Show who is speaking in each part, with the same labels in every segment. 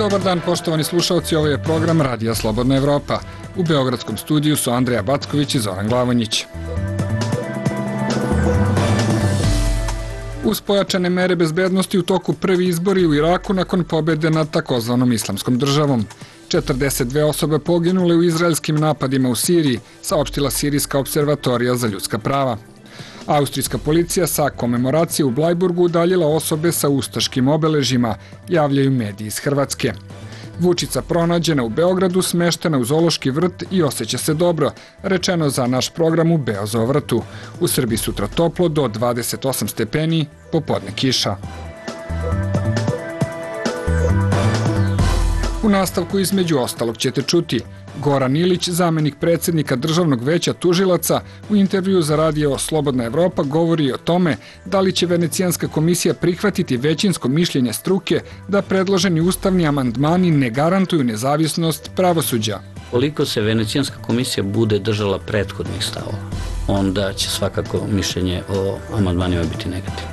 Speaker 1: Dobar dan, poštovani slušalci, ovo je program Radija Slobodna Evropa. U beogradskom studiju su Andreja Backović i Zoran Glavonjić. Uz pojačane mere bezbednosti u toku prvi izbori u Iraku nakon pobjede nad takozvanom islamskom državom. 42 osobe poginule u izraelskim napadima u Siriji, saopštila Sirijska observatorija za ljudska prava. Austrijska policija sa komemoracije u Blajburgu udaljila osobe sa ustaškim obeležjima, javljaju mediji iz Hrvatske. Vučica pronađena u Beogradu, smeštena u zoološki vrt i osjeća se dobro, rečeno za naš program u Beozovrtu. U Srbiji sutra toplo do 28 stepeni, popodne kiša. U nastavku između ostalog ćete čuti: Goran Ilić, zamenik predsjednika Državnog veća tužilaca, u intervju za radio Slobodna Evropa govori o tome da li će Venecijanska komisija prihvatiti većinsko mišljenje struke da predloženi ustavni amandmani ne garantuju nezavisnost pravosuđa.
Speaker 2: Koliko se Venecijanska komisija bude držala prethodnih stavova, onda će svakako mišljenje o amandmanima biti negativno.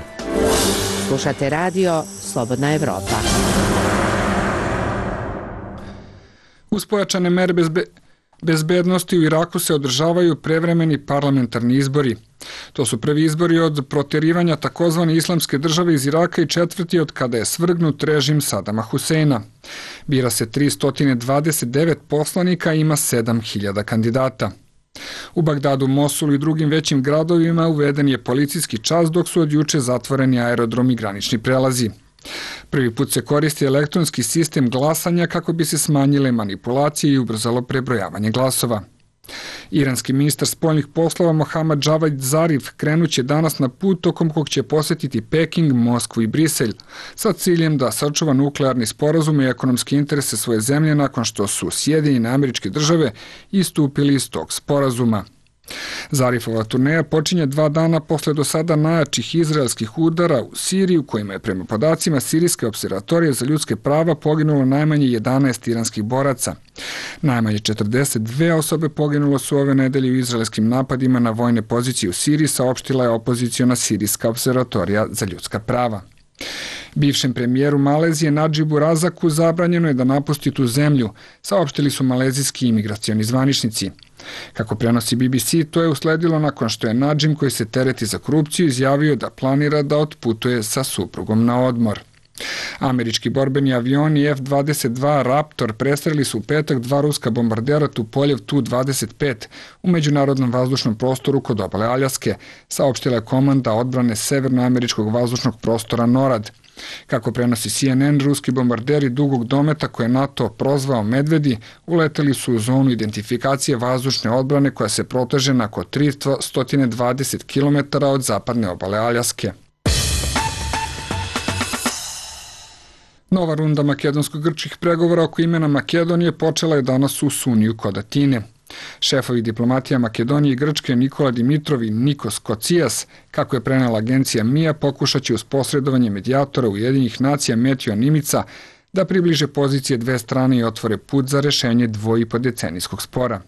Speaker 3: Slušate radio Slobodna Evropa.
Speaker 1: Uz pojačane mere bezbednosti u Iraku se održavaju prevremeni parlamentarni izbori. To su prvi izbori od protjerivanja takozvane islamske države iz Iraka i četvrti od kada je svrgnut režim Sadama Huseina. Bira se 329 poslanika i ima 7000 kandidata. U Bagdadu, Mosulu i drugim većim gradovima uveden je policijski čas, dok su od juče zatvoreni aerodrom i granični prelazi. Prvi put se koristi elektronski sistem glasanja kako bi se smanjile manipulacije i ubrzalo prebrojavanje glasova. Iranski ministar spoljnih poslova Mohammad Javad Zarif krenuće danas na put tokom kog će posjetiti Peking, Moskvu i Briselj sa ciljem da sačuva nuklearni sporazum i ekonomske interese svoje zemlje nakon što su Sjedinjene Američke Države istupili iz tog sporazuma. Zarifova turneja počinje 2 dana posle do sada najjačih izraelskih udara u Siriji, u kojima je prema podacima Sirijske observatorije za ljudske prava poginulo najmanje 11 iranskih boraca. Najmanje 42 osobe poginulo su ove nedelje u izraelskim napadima na vojne pozicije u Siriji, saopštila je opoziciona Sirijska observatorija za ljudska prava. Bivšem premijeru Malezije Nadžibu Razaku zabranjeno je da napusti tu zemlju, saopštili su malezijski imigracioni zvaničnici. Kako prenosi BBC, to je usledilo nakon što je Nadžim, koji se tereti za korupciju, izjavio da planira da otputuje sa suprugom na odmor. Američki borbeni avioni F-22 Raptor prestrelili su u petak 2 ruska bombardera Tupoljev Tu-25 u međunarodnom vazdušnom prostoru kod obale Aljaske, saopštila je komanda odbrane severnoameričkog vazdušnog prostora NORAD. Kako prenosi CNN, ruski bombarderi dugog dometa koje je NATO prozvao Medvedi uleteli su u zonu identifikacije vazdušne odbrane koja se proteže na oko 320 km od zapadne obale Aljaske. Nova runda makedonsko-grčkih pregovora oko imena Makedonije počela je danas u Suniju kod Atine. Šefovi diplomatija Makedonije i Grčke Nikola Dimitrov i Nikos Kocijas, kako je prenela agencija MIA, pokušat će uz posredovanje medijatora Ujedinjenih nacija Metio Nimica da približe pozicije dve strane i otvore put za rešenje dvoipodecenijskog spora.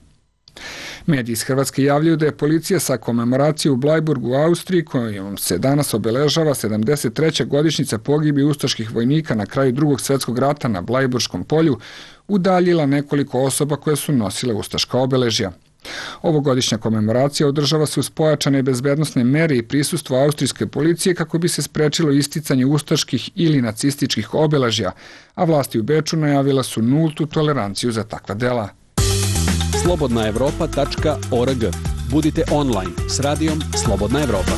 Speaker 1: Mediji iz Hrvatske javljaju da je policija sa komemoracije u Blajburgu u Austriji, kojom se danas obeležava 73. godišnjica pogibije ustaških vojnika na kraju Drugog svjetskog rata na Blajburškom polju, udaljila nekoliko osoba koje su nosile ustaška obeležja. Ovogodišnja komemoracija održava se uz pojačane bezbednosne mere i prisustvo austrijske policije kako bi se sprečilo isticanje ustaških ili nacističkih obeležja, a vlasti u Beču najavila su nultu toleranciju za takva dela.
Speaker 4: slobodnaevropa.org. Budite online s radijom Slobodna Evropa.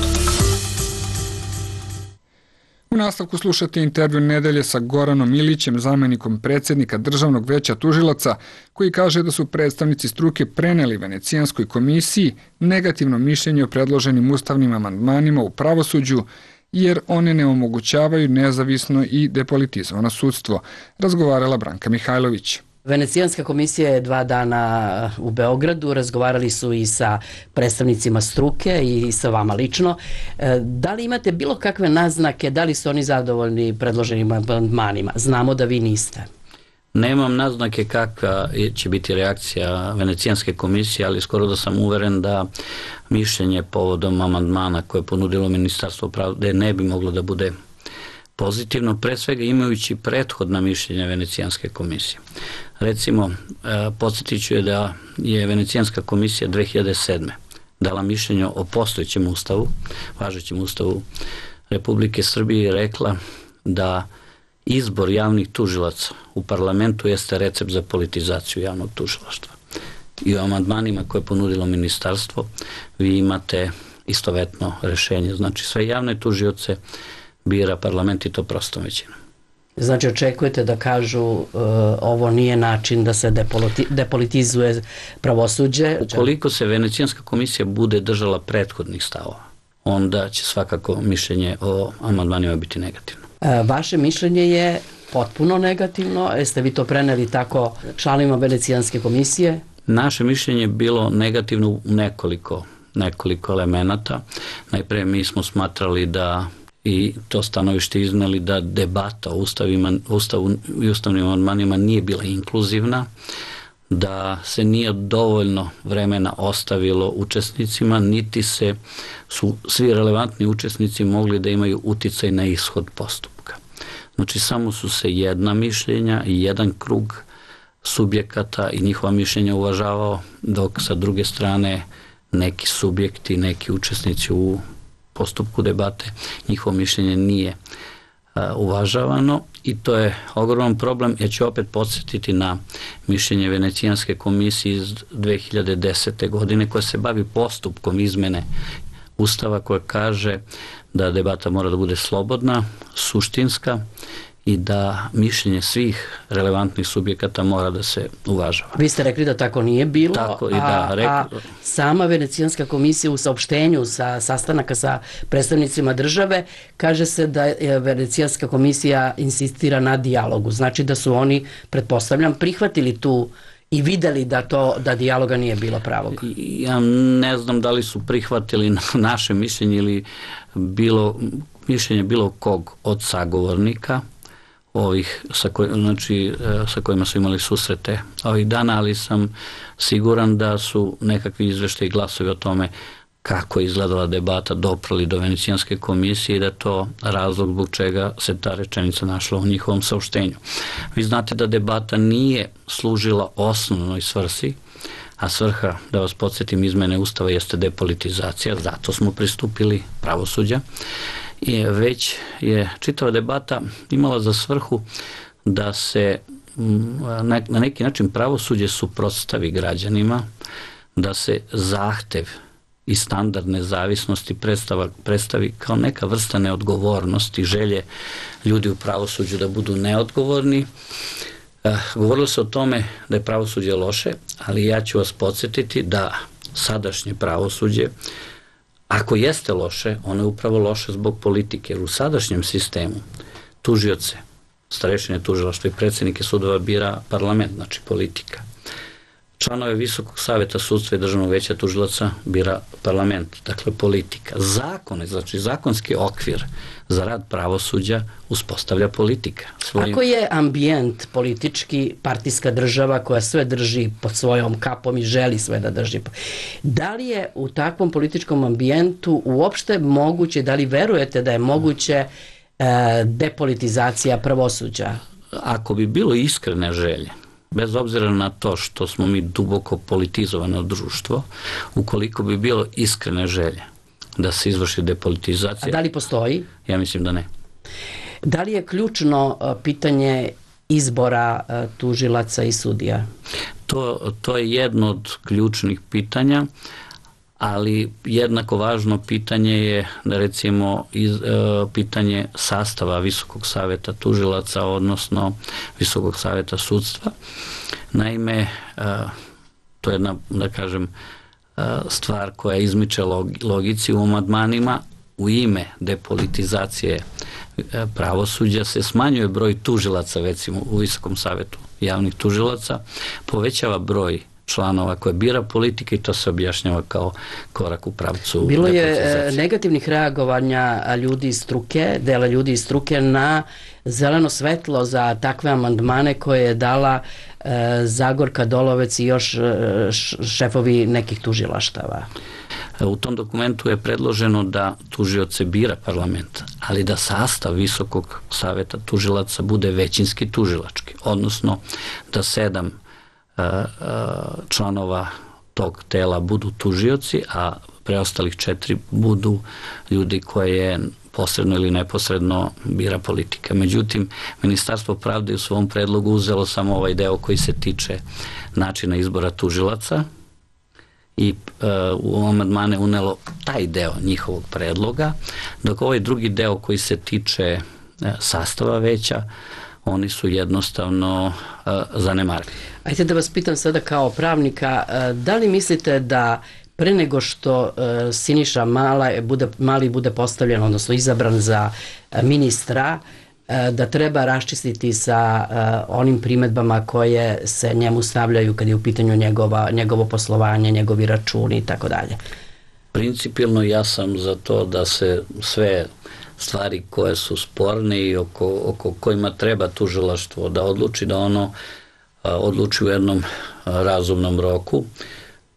Speaker 1: U nastavku slušate intervju nedelje sa Goranom Ilićem, zamenikom predsjednika Državnog veća tužilaca, koji kaže da su predstavnici struke preneli Venecijanskoj komisiji negativno mišljenje o predloženim ustavnim amandmanima u pravosuđu, jer one ne omogućavaju nezavisno i depolitizovano sudstvo, razgovarala Branka Mihajlović.
Speaker 3: Venecijanska komisija je 2 dana u Beogradu, razgovarali su i sa predstavnicima struke i sa vama lično. Da li imate bilo kakve naznake, da li su oni zadovoljni predloženim amandmanima? Znamo da vi niste.
Speaker 2: Nemam naznake kakva će biti reakcija Venecijanske komisije, ali skoro da sam uveren da mišljenje povodom amandmana koje je ponudilo Ministarstvo pravde ne bi moglo da bude pozitivno, pre svega imajući prethodna mišljenja Venecijanske komisije. Recimo, podsjetit ću je da je Venecijanska komisija 2007. dala mišljenje o postojećem ustavu, važećem ustavu Republike Srbije i rekla da izbor javnih tužilaca u parlamentu jeste recept za politizaciju javnog tužilaštva. I u amandmanima koje je ponudilo ministarstvo vi imate istovetno rešenje. Znači sve javne tužioce bira parlament i to prostom većinom.
Speaker 3: Znači očekujete da kažu ovo nije način da se depolitizuje pravosuđe?
Speaker 2: Koliko se Venecijanska komisija bude držala prethodnih stavova, onda će svakako mišljenje o amandmanima biti negativno.
Speaker 3: Vaše mišljenje je potpuno negativno. Jeste vi to preneli tako članovima Venecijanske komisije?
Speaker 2: Naše mišljenje je bilo negativno u nekoliko elemenata. Najpre mi smo smatrali da i to stanovište izneli da debata o Ustavu i ustavnim amandmanima nije bila inkluzivna, da se nije dovoljno vremena ostavilo učesnicima, niti su svi relevantni učesnici mogli da imaju uticaj na ishod postupka. Znači samo su se jedna mišljenja i jedan krug subjekata i njihova mišljenja uvažavao, dok sa druge strane neki subjekti, neki učesnici u postupku debate, njihovo mišljenje nije uvažavano i to je ogroman problem. Ja ću opet podsjetiti na mišljenje Venecijanske komisije iz 2010. godine koja se bavi postupkom izmene Ustava, koja kaže da debata mora da bude slobodna, suštinska i da mišljenje svih relevantnih subjekata mora da se uvažava.
Speaker 3: Vi ste rekli da tako nije bilo,
Speaker 2: tako i da,
Speaker 3: a sama Venecijanska komisija u saopštenju sa sastanaka sa predstavnicima države kaže se da Venecijanska komisija insistira na dijalogu. Znači da su oni, pretpostavljam, prihvatili tu i videli da dijaloga nije bilo pravog.
Speaker 2: Ja ne znam da li su prihvatili naše mišljenje ili mišljenje bilo kog od sagovornika ovih sa kojima su imali susrete ovih dana, ali sam siguran da su nekakvi izveštaji i glasovi o tome kako je izgledala debata doprali do Venecijanske komisije i da je to razlog zbog čega se ta rečenica našla u njihovom saopštenju. Vi znate da debata nije služila osnovnoj svrsi, a svrha, da vas podsjetim, izmene Ustava jeste depolitizacija, zato smo pristupili pravosuđa. I već je čitava debata imala za svrhu da se na neki način pravosuđe suprotstavi građanima, da se zahtev i standard nezavisnosti predstavi kao neka vrsta neodgovornosti, želje ljudi u pravosuđu da budu neodgovorni. Govorilo se o tome da je pravosuđe loše, ali ja ću vas podsjetiti da sadašnje pravosuđe, ako jeste loše, ono je upravo loše zbog politike, jer u sadašnjem sistemu tužioce, starešine tužilaštva i predsjednike sudova bira parlament, znači politika. Članove Visokog saveta sudstva i Državnog veća tužilaca bira parlament, dakle politika. Zakone, znači zakonski okvir za rad pravosuđa uspostavlja politika.
Speaker 3: Ako je ambijent politički, partijska država koja sve drži pod svojom kapom i želi sve da drži, da li je u takvom političkom ambijentu uopšte moguće, da li verujete da je moguće depolitizacija pravosuđa?
Speaker 2: Ako bi bilo iskrene želje, bez obzira na to što smo mi duboko politizovano društvo, ukoliko bi bilo iskrene želje da se izvrši depolitizacija...
Speaker 3: A da li postoji?
Speaker 2: Ja mislim da ne.
Speaker 3: Da li je ključno pitanje izbora tužilaca i sudija?
Speaker 2: To je jedno od ključnih pitanja, ali jednako važno pitanje je, recimo, pitanje sastava Visokog saveta tužilaca, odnosno Visokog saveta sudstva. Naime, to je jedna, da kažem, stvar koja izmiče logici u amandmanima. U ime depolitizacije pravosuđa se smanjuje broj tužilaca, recimo u Visokom savetu javnih tužilaca, povećava broj članova koje bira politika i to se objašnjava kao korak u pravcu
Speaker 3: depolitizacije. Bilo je negativnih reagovanja ljudi iz struke, dela ljudi iz struke na zeleno svetlo za takve amandmane koje je dala Zagorka Dolovac i još šefovi nekih tužilaštava.
Speaker 2: U tom dokumentu je predloženo da tužioce bira parlament, ali da sastav Visokog saveta tužilaca bude većinski tužilački, odnosno da 7 članova tog tela budu tužioci, a preostalih 4 budu ljudi koje posredno ili neposredno bira politika. Međutim, Ministarstvo pravde u svom predlogu uzelo samo ovaj deo koji se tiče načina izbora tužilaca i u amandmane unelo taj deo njihovog predloga, dok ovaj drugi deo koji se tiče sastava veća, oni su jednostavno zanemarili.
Speaker 3: Ajde da vas pitam sada kao pravnika, da li mislite da pre nego što Siniša Mali bude postavljen, odnosno izabran za ministra, da treba raščistiti sa onim primedbama koje se njemu stavljaju kad je u pitanju njegovo poslovanje, njegovi računi i tako dalje?
Speaker 2: Principijelno ja sam za to da se sve stvari koje su sporne i oko kojima treba tužilaštvo da odluči, da ono odluči u jednom razumnom roku.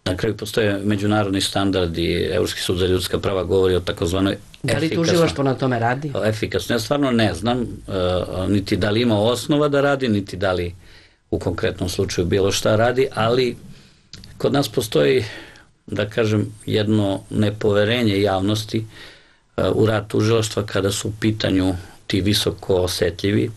Speaker 2: Na kraju postoje međunarodni standardi, Evropski sud za ljudska prava govori o takozvanoj efikasnoj.
Speaker 3: Da li tužilaštvo na tome radi?
Speaker 2: Efikasno. Ja stvarno ne znam niti da li ima osnova da radi, niti da li u konkretnom slučaju bilo šta radi, ali kod nas postoji, da kažem, jedno nepoverenje javnosti u rad tužilaštva kada su u pitanju ti visoko osetljivi,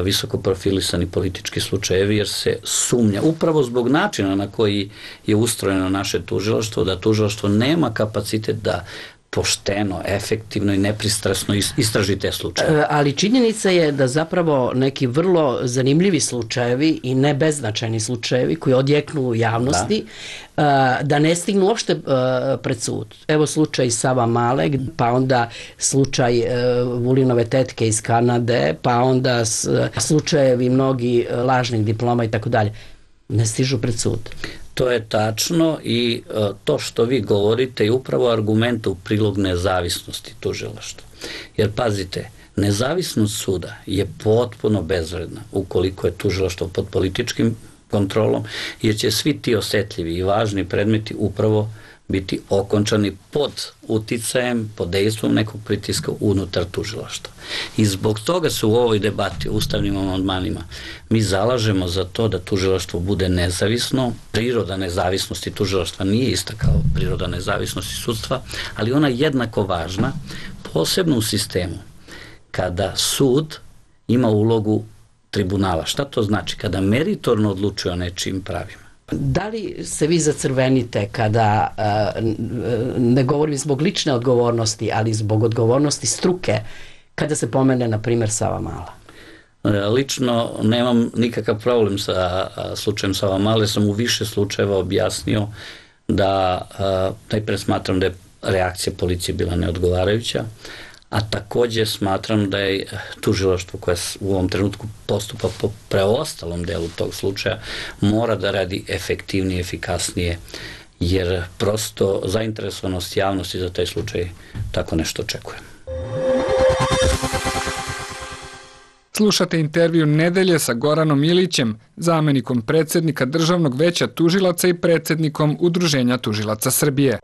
Speaker 2: visoko profilisani politički slučajevi, jer se sumnja, upravo zbog načina na koji je ustrojeno naše tužilaštvo, da tužilaštvo nema kapacitet da pošteno, efektivno i nepristrasno istraži te slučaje.
Speaker 3: Ali činjenica je da zapravo neki vrlo zanimljivi slučajevi i ne beznačajni slučajevi koji odjeknu u javnosti, da ne stignu uopšte pred sud. Evo slučaj Sava Male, pa onda slučaj Vulinove tetke iz Kanade, pa onda slučajevi mnogi lažnih diploma i tako dalje. Ne stižu pred sud.
Speaker 2: To je tačno i to što vi govorite je upravo argument u prilog nezavisnosti tužilaštva. Jer pazite, nezavisnost suda je potpuno bezvredna ukoliko je tužilaštvo pod političkim kontrolom, jer će svi ti osetljivi i važni predmeti upravo biti okončani pod uticajem, pod dejstvom nekog pritiska unutar tužilaštva. I zbog toga se u ovoj debati o ustavnim amandmanima mi zalažemo za to da tužilaštvo bude nezavisno. Priroda nezavisnosti tužilaštva nije ista kao priroda nezavisnosti sudstva, ali ona je jednako važna, posebno u sistemu kada sud ima ulogu tribunala. Šta to znači? Kada meritorno odlučuje o nečijim pravima.
Speaker 3: Da li se vi zacrvenite kada, ne govorim zbog lične odgovornosti, ali zbog odgovornosti struke, kada se pomene, na primjer, Sava Mala?
Speaker 2: Lično nemam nikakav problem sa slučajem Sava Male, sam u više slučajeva objasnio da najpre smatram da je reakcija policije bila neodgovarajuća, a takođe smatram da je tužilaštvo koje u ovom trenutku postupa po preostalom delu tog slučaja mora da radi efektivnije, efikasnije, jer prosto zainteresovanost javnosti za taj slučaj tako nešto očekuje.
Speaker 1: Slušate intervju Nedelje sa Goranom Ilićem, zamenikom predsjednika Državnog veća tužilaca i predsjednikom Udruženja tužilaca Srbije.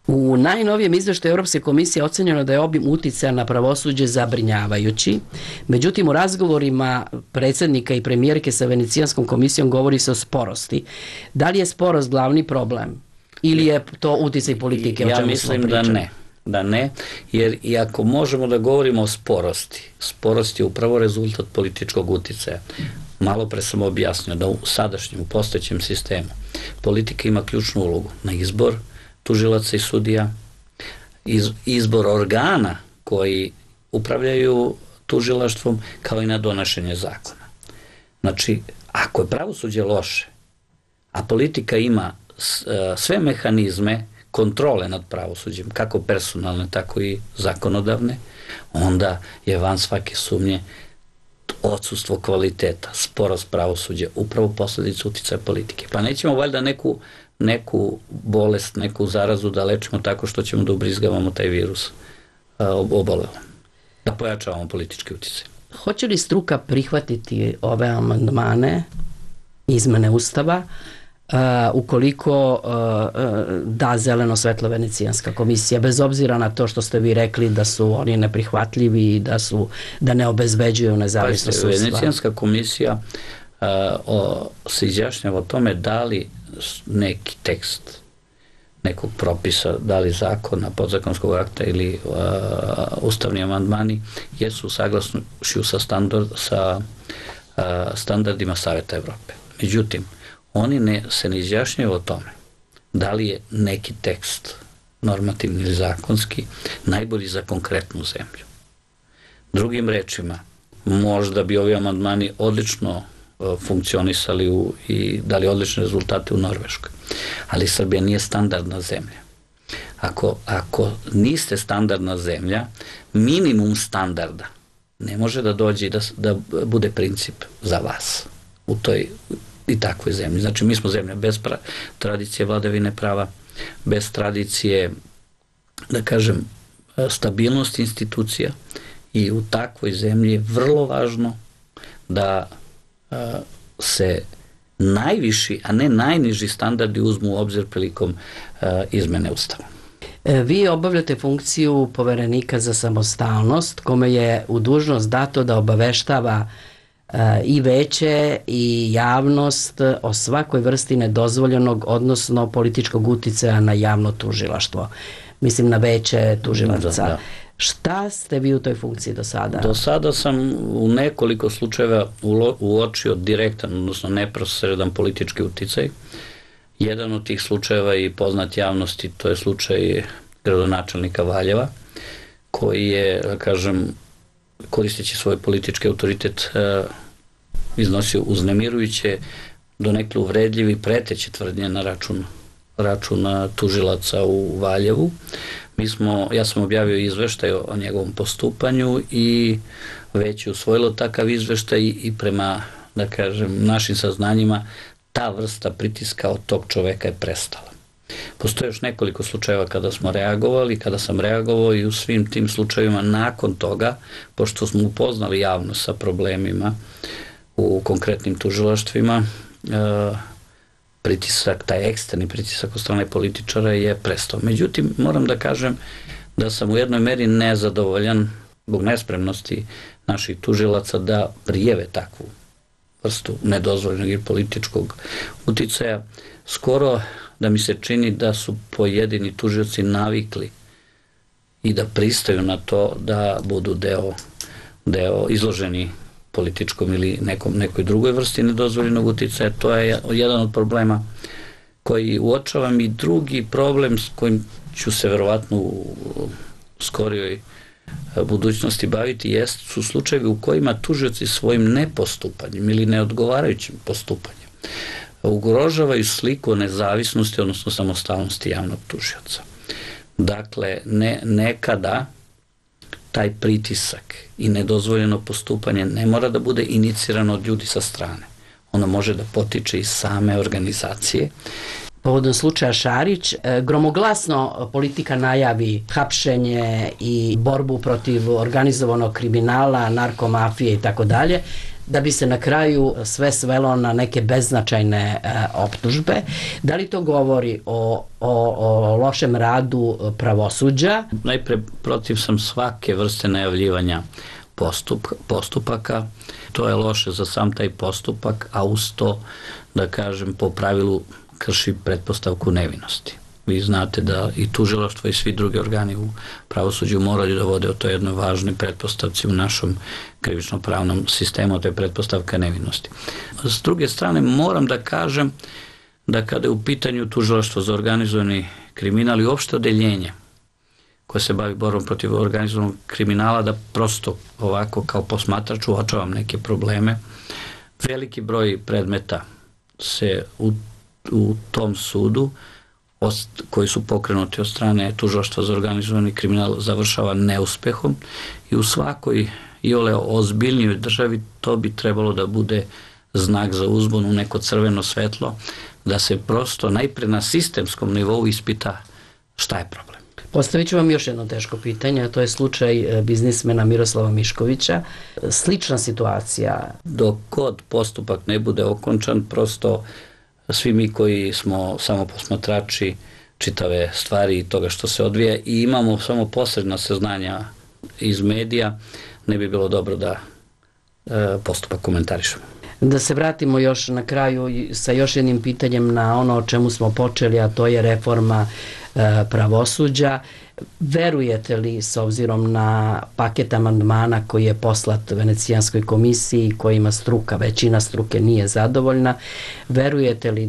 Speaker 3: U najnovijem izveštaju Europske komisije ocenjeno da je obim uticaja na pravosuđe zabrinjavajući. Međutim, u razgovorima predsjednika i premijerke sa Venecijanskom komisijom govori se o sporosti. Da li je sporost glavni problem? Ili je to uticaj politike?
Speaker 2: Ja mislim da ne, jer i ako možemo da govorimo o sporosti, sporost je upravo rezultat političkog uticaja. Malo pre sam objasnio da u sadašnjem, postojećem sistemu politika ima ključnu ulogu na izbor tužilaca i sudija, izbor organa koji upravljaju tužilaštvom, kao i na donošenje zakona. Znači, ako je pravosuđe loše, a politika ima sve mehanizme kontrole nad pravosuđem, kako personalne, tako i zakonodavne, onda je van svake sumnje odsustvo kvaliteta, sporost pravosuđa, upravo posledica uticaja politike. Pa nećemo valjda neku bolest, neku zarazu da lečimo tako što ćemo da ubrizgavamo taj virus obolelo, da pojačavamo politički uticaj.
Speaker 3: Hoće li struka prihvatiti ove amandmane, izmene Ustava, ukoliko da zeleno svetlo Venecijanska komisija, bez obzira na to što ste vi rekli da su oni neprihvatljivi i da ne obezbeđuju nezavisnost sudstva.
Speaker 2: Venecijanska komisija se izjašnjava o tome da li neki tekst nekog propisa, da li zakona, podzakonskog akta ili ustavni amandmani jesu saglasni sa standardima Saveta Evrope. Međutim, oni se ne izjašnjaju o tome da li je neki tekst normativni ili zakonski najbolji za konkretnu zemlju. Drugim rečima, možda bi ovi amandmani odlično funkcionisali i dali odlične rezultate u Norveškoj. Ali Srbija nije standardna zemlja. Ako niste standardna zemlja, minimum standarda ne može da dođe i da bude princip za vas u toj i takvoj zemlji. Znači, mi smo zemlja bez tradicije vladavine prava, bez tradicije, da kažem, stabilnosti institucija i u takvoj zemlji je vrlo važno da se najviši, a ne najniži standardi uzmu u obzir prilikom izmene Ustava.
Speaker 3: Vi obavljate funkciju poverenika za samostalnost, kome je u dužnost dato da obaveštava i veće i javnost o svakoj vrsti nedozvoljenog, odnosno političkog uticaja na javno tužilaštvo. Mislim na veće tužilaca. Da. Šta ste vi u toj funkciji do sada?
Speaker 2: Do sada sam u nekoliko slučajeva uočio direktan, odnosno neposredan politički uticaj. Jedan od tih slučajeva i poznat javnosti, to je slučaj gradonačelnika Valjeva, koji je, da kažem, koristeći svoj politički autoritet iznosio uznemirujuće, donekle uvredljivi, preteće tvrdnje na račun tužilaca u Valjevu. Ja sam objavio izveštaj o njegovom postupanju i već je usvojilo takav izveštaj i prema, da kažem, našim saznanjima ta vrsta pritiska od tog čoveka je prestala. Postoje još nekoliko slučajeva kada smo reagovali, kada sam reagovao i u svim tim slučajevima nakon toga, pošto smo upoznali javnost sa problemima u konkretnim tužilaštvima, pritisak, taj eksterni pritisak od strane političara je prestao. Međutim, moram da kažem da sam u jednoj meri nezadovoljan zbog nespremnosti naših tužilaca da prijeve takvu vrstu nedozvoljenog i političkog uticaja. Skoro da mi se čini da su pojedini tužioci navikli i da pristaju na to da budu deo izloženi političkom ili nekoj drugoj vrsti nedozvoljenog uticaja. To je jedan od problema koji uočavam i drugi problem s kojim ću se verovatno u skorijoj budućnosti baviti su slučajevi u kojima tužioci svojim nepostupanjem ili neodgovarajućim postupanjem ugrožavaju sliku o nezavisnosti, odnosno samostalnosti javnog tužioca. Dakle, nekada taj pritisak i nedozvoljeno postupanje ne mora da bude inicirano od ljudi sa strane. Ono može da potiče iz same organizacije.
Speaker 3: Povodom slučaja Šarić, gromoglasno politika najavi hapšenje i borbu protiv organizovanog kriminala, narkomafije i tako dalje, da bi se na kraju sve svelo na neke beznačajne optužbe. Da li to govori o lošem radu pravosuđa?
Speaker 2: Najpre, protiv sam svake vrste najavljivanja postupaka. To je loše za sam taj postupak, a uz to, da kažem, po pravilu krši pretpostavku nevinosti. Vi znate da i tužilaštvo i svi drugi organi u pravosuđu moraju da vode o toj jednoj važnoj pretpostavci u našom krivično-pravnom sistemu, to je pretpostavka nevinosti. S druge strane, moram da kažem da kada je u pitanju tužilaštvo za organizovani kriminal i uopšte odeljenje koje se bavi borbom protiv organizovanog kriminala, da prosto ovako kao posmatrač uočavam neke probleme. Veliki broj predmeta se u tom sudu koji su pokrenuti od strane tužilaštva za organizovani kriminal završava neuspehom i u svakoj iole ozbiljnijoj državi to bi trebalo da bude znak za uzbunu, neko crveno svetlo, da se prosto najpre na sistemskom nivou ispita šta je problem.
Speaker 3: Postavit ću vam još jedno teško pitanje, a to je slučaj biznismena Miroslava Miškovića. Slična situacija.
Speaker 2: Dok god postupak ne bude okončan, prosto svi mi koji smo samo posmatrači čitave stvari i toga što se odvija i imamo samo posredna saznanja iz medija, ne bi bilo dobro da postupak komentarišemo.
Speaker 3: Da se vratimo još na kraju sa još jednim pitanjem na ono o čemu smo počeli, a to je reforma pravosuđa. Verujete li, s obzirom na paket amandmana koji je poslat Venecijanskoj komisiji, kojima većina struke nije zadovoljna, verujete li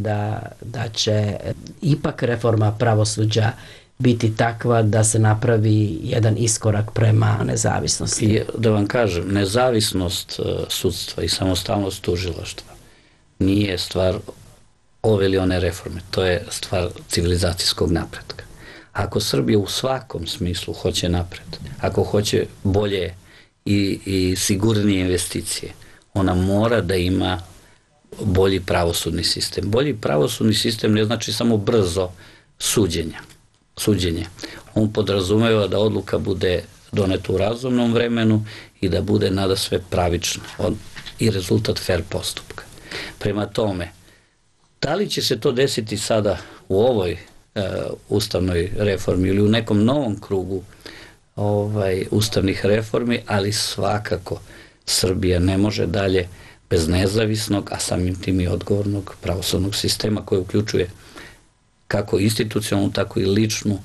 Speaker 3: da će ipak reforma pravosuđa biti takva da se napravi jedan iskorak prema nezavisnosti?
Speaker 2: I da vam kažem, nezavisnost sudstva i samostalnost tužilaštva nije stvar ove ili one reforme, to je stvar civilizacijskog napretka. Ako Srbija u svakom smislu hoće napred, ako hoće bolje i sigurnije investicije, ona mora da ima bolji pravosudni sistem. Bolji pravosudni sistem ne znači samo brzo suđenje. On podrazumeva da odluka bude doneta u razumnom vremenu i da bude nadasve pravična i rezultat fair postupka. Prema tome, da li će se to desiti sada u ovoj ustavnoj reformi ili u nekom novom krugu ustavnih reformi, ali svakako Srbija ne može dalje bez nezavisnog, a samim tim i odgovornog pravosudnog sistema koji uključuje kako institucionalnu, tako i ličnu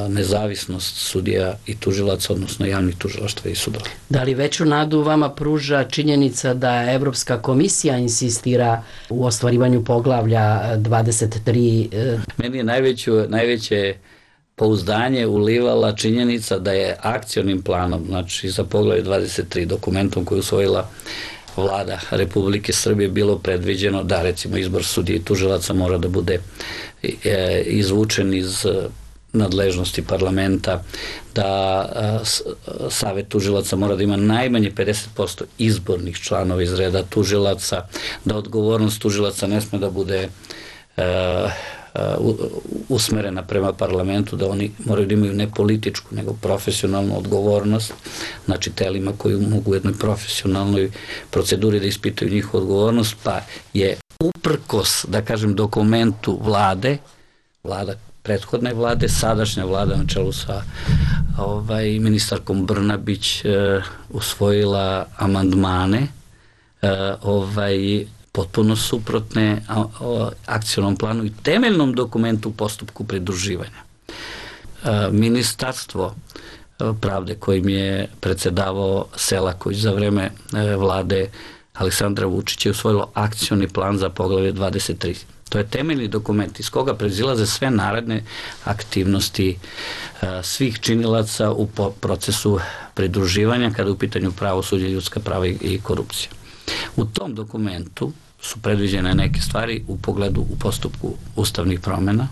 Speaker 2: nezavisnost sudija i tužilaca, odnosno javnih tužilaštva i sudova.
Speaker 3: Da li veću nadu vama pruža činjenica da Evropska komisija insistira u ostvarivanju poglavlja 23?
Speaker 2: Meni je najveće pouzdanje ulivala činjenica da je akcionim planom, znači za poglavlje 23, dokumentom koji je usvojila Vlada Republike Srbije, bilo predviđeno da recimo izbor sudija i tužilaca mora da bude izvučen iz nadležnosti parlamenta, da Savet tužilaca mora da ima najmanje 50% izbornih članova iz reda tužilaca, da odgovornost tužilaca ne sme da bude usmerena prema parlamentu, da oni moraju da imaju ne političku, nego profesionalnu odgovornost, znači telima koji mogu u jednoj profesionalnoj proceduri da ispitaju njihovu odgovornost, pa je uprkos, da kažem, dokumentu prethodne vlade, sadašnja vlada na čelu sa ministarkom Brnabić usvojila amandmane potpuno suprotne akcionom planu i temeljnom dokumentu u postupku pridruživanja. Ministarstvo pravde kojim je predsedavao Selaković za vreme vlade Aleksandra Vučića je usvojilo akcioni plan za poglavlje 23. To je temeljni dokument iz koga proizilaze sve naredne aktivnosti svih činilaca u procesu pridruživanja kada je u pitanju pravosuđe, ljudska prava i korupcija. U tom dokumentu su predviđene neke stvari u postupku ustavnih promjena.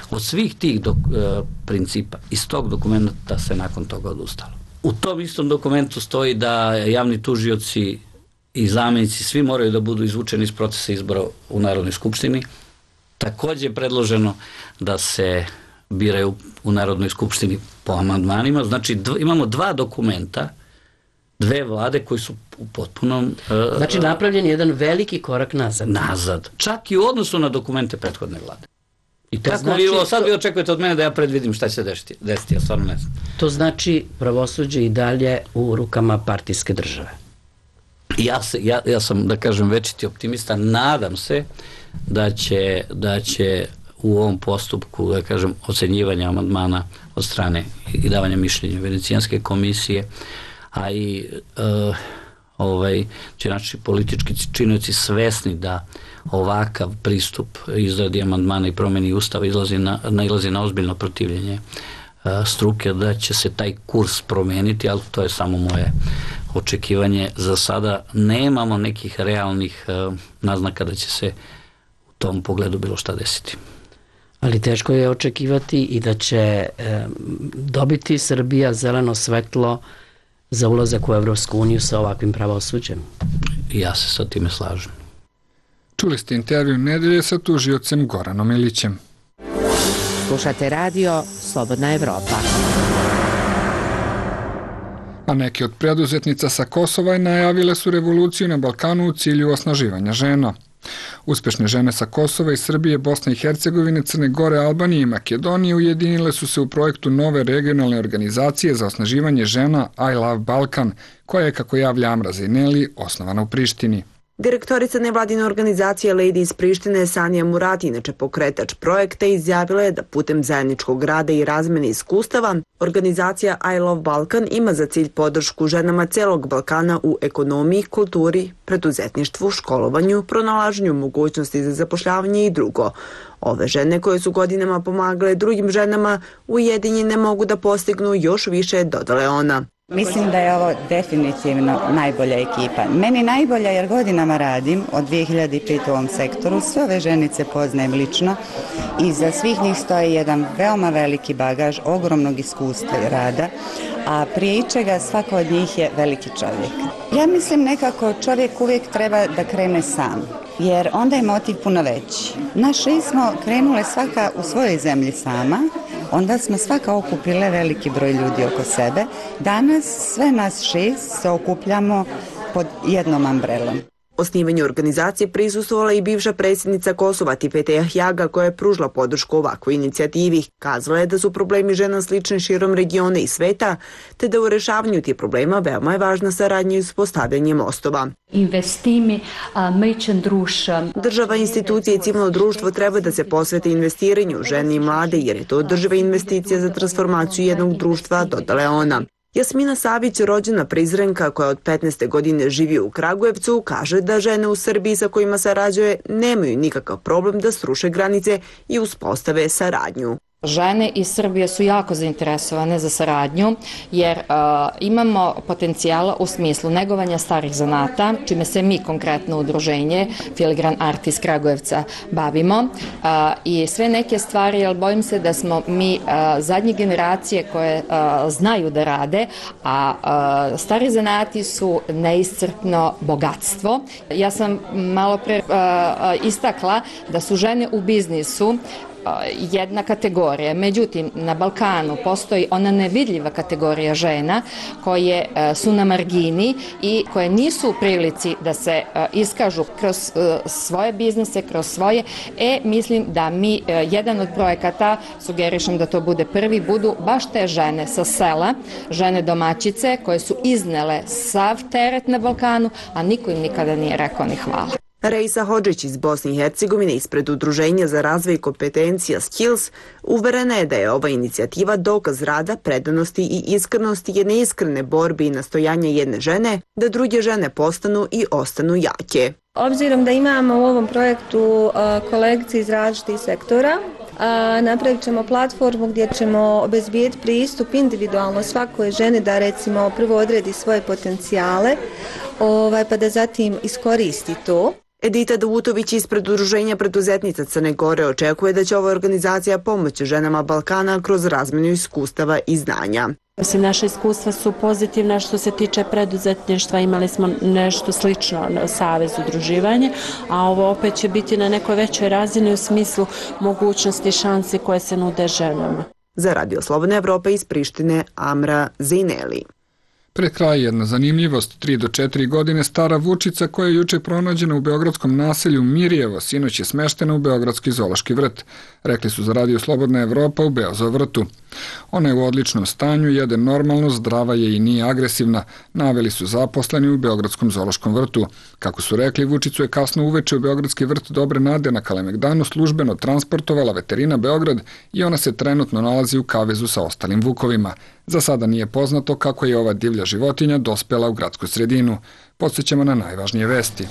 Speaker 2: Od svih tih principa iz tog dokumenta se nakon toga odustalo. U tom istom dokumentu stoji da javni tužioci i zamenici svi moraju da budu izvučeni iz procesa izbora u Narodnoj skupštini. Takođe je predloženo da se biraju u Narodnoj skupštini po amandmanima. Znači imamo dva dokumenta, dve vlade koji su u potpunom...
Speaker 3: Znači napravljen je jedan veliki korak nazad.
Speaker 2: Nazad. Čak i u odnosu na dokumente prethodne vlade. I tako bilo, sad vi očekujete od mene da ja predvidim šta će se desiti, ja stvarno ne znam.
Speaker 3: To znači pravosuđe i dalje u rukama partijske države.
Speaker 2: Ja sam, da kažem, večiti optimista, nadam se da će u ovom postupku, da kažem, ocenjivanja amandmana od strane i davanja mišljenja Venecijanske komisije, a i će naši politički činioci svesni da ovakav pristup izradi amandmana i promeni Ustava nailazi na ozbiljno protivljenje struke, da će se taj kurs promeniti, ali to je samo moje očekivanje. Za sada nemamo nekih realnih naznaka da će se u tom pogledu bilo šta desiti.
Speaker 3: Ali teško je očekivati i da će dobiti Srbija zeleno svetlo za ulazak u Evropsku uniju sa ovakvim pravosuđem.
Speaker 2: Ja se sa time slažem.
Speaker 1: Čuli ste intervju nedelje sa tužiocem Goranom Ilićem.
Speaker 5: Slušate radio Slobodna Evropa.
Speaker 1: A neke od preduzetnica sa Kosova najavile su revoluciju na Balkanu u cilju osnaživanja žena. Uspešne žene sa Kosova i Srbije, Bosne i Hercegovine, Crne Gore, Albanije i Makedonije ujedinile su se u projektu nove regionalne organizacije za osnaživanje žena I Love Balkan, koja je, kako javlja Amra Zejneli, osnovana u Prištini.
Speaker 6: Direktorica nevladine organizacije Lady iz Prištine Sanija Murati, inače pokretač projekta, izjavila je da putem zajedničkog rada i razmene iskustava organizacija I Love Balkan ima za cilj podršku ženama celog Balkana u ekonomiji, kulturi, preduzetništvu, školovanju, pronalaženju mogućnosti za zapošljavanje i drugo. Ove žene koje su godinama pomagale drugim ženama ujedinjene mogu da postignu još više, dodala je ona.
Speaker 7: Mislim da je ovo definitivno najbolja ekipa. Meni najbolja jer godinama radim od 2005. u ovom sektoru. Sve ove ženice poznajem lično i za svih njih stoji jedan veoma veliki bagaž, ogromnog iskustva i rada, a prije ičega svako od njih je veliki čovjek. Ja mislim nekako čovjek uvijek treba da krene sam, jer onda je motiv puno veći. Naš smo krenule svaka u svojoj zemlji sama, onda smo svaka okupile veliki broj ljudi oko sebe. Danas sve nas 6 se okupljamo pod jednom ambrelom.
Speaker 6: Osnivanju organizacije prisustvovala i bivša predsjednica Kosova Tipete Jahjaga, koja je pružila podršku ovakvoj inicijativi. Kazala je da su problemi žena slični širom regiona i sveta, te da u rešavanju tih problema veoma je važna saradnja i uspostavljanje mostova. Država, institucije i civilno društvo treba da se posvete investiranju u žene i mlade, jer je to održiva investicija za transformaciju jednog društva, dodala je ona. Jasmina Savić, rođena Prizrenka koja od 15. godine živi u Kragujevcu, kaže da žene u Srbiji sa kojima sarađuje nemaju nikakav problem da sruše granice i uspostave saradnju.
Speaker 8: Žene iz Srbije su jako zainteresovane za saradnju jer imamo potencijala u smislu negovanja starih zanata, čime se mi konkretno udruženje Filigran Art iz Kragujevca bavimo i sve neke stvari, jer bojim se da smo mi zadnje generacije koje znaju da rade, a stari zanati su neiscrpno bogatstvo. Ja sam malo pre istakla da su žene u biznisu jedna kategorija. Međutim, na Balkanu postoji ona nevidljiva kategorija žena koje su na margini i koje nisu u prilici da se iskažu kroz svoje biznise, kroz svoje. Mislim da mi, jedan od projekata, sugerišem da to bude prvi, budu baš te žene sa sela, žene domaćice koje su iznele sav teret na Balkanu, a niko im nikada nije rekao ni hvala.
Speaker 6: Rejsa Hodžić iz Bosne i Hercegovine ispred Udruženja za razvoj kompetencija Skills uverena je da je ova inicijativa dokaz rada, predanosti i iskrenosti jedne iskrene borbe i nastojanja jedne žene da druge žene postanu i ostanu jake.
Speaker 9: Obzirom da imamo u ovom projektu kolegice iz različitih sektora, napravit ćemo platformu gdje ćemo obezbijeti pristup individualno svakoj ženi da recimo prvo odredi svoje potencijale pa da zatim iskoristi to.
Speaker 6: Edita Davutović ispred Udruženja preduzetnica Crne Gore očekuje da će ova organizacija pomoći ženama Balkana kroz razmjenu iskustava i znanja.
Speaker 10: Naše iskustva su pozitivna što se tiče preduzetništva, imali smo nešto slično na Savez udruživanje, a ovo opet će biti na nekoj većoj razini u smislu mogućnosti i šansi koje se nude ženama.
Speaker 6: Za Radio Slobodna Evropa iz Prištine, Amra Zejneli.
Speaker 1: Pred kraj jedna zanimljivost, 3 do 4 godine stara vučica koja je juče pronađena u beogradskom naselju Mirjevo, sinoć je smeštena u Beogradski zoološki vrt, rekli su za Radio Slobodna Evropa u Beozovrtu. Ona je u odličnom stanju, jede normalno, zdrava je i nije agresivna, naveli su zaposleni u Beogradskom zoološkom vrtu. Kako su rekli, vučicu je kasno uveče u Beogradski vrt Dobre Nade na Kalemegdanu službeno transportovala veterina Beograd i ona se trenutno nalazi u kavezu sa ostalim vukovima. Za sada nije poznato kako je ova divlja životinja dospela u gradsku sredinu. Podsjećamo na najvažnije vesti.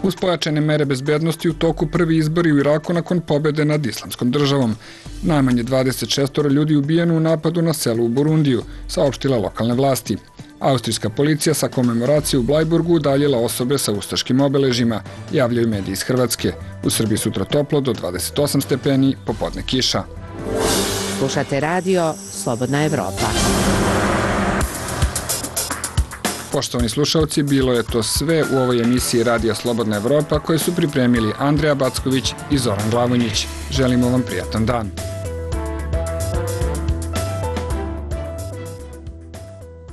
Speaker 1: Uz pojačane mere bezbednosti u toku prvi izbori u Iraku nakon pobjede nad Islamskom državom. Najmanje 26 ljudi ubijeno u napadu na selu u Burundiju, saopštila lokalne vlasti. Austrijska policija sa komemoracije u Blajburgu udaljila osobe sa ustaškim obeležima, javljaju mediji iz Hrvatske. U Srbiji sutra toplo do 28 stepeni, popodne kiša.
Speaker 5: Slušate radio Slobodna Evropa.
Speaker 1: Poštovani slušalci, bilo je to sve u ovoj emisiji Radija Slobodna Evropa koje su pripremili Andreja Backović i Zoran Glavonjić. Želimo vam prijatan dan.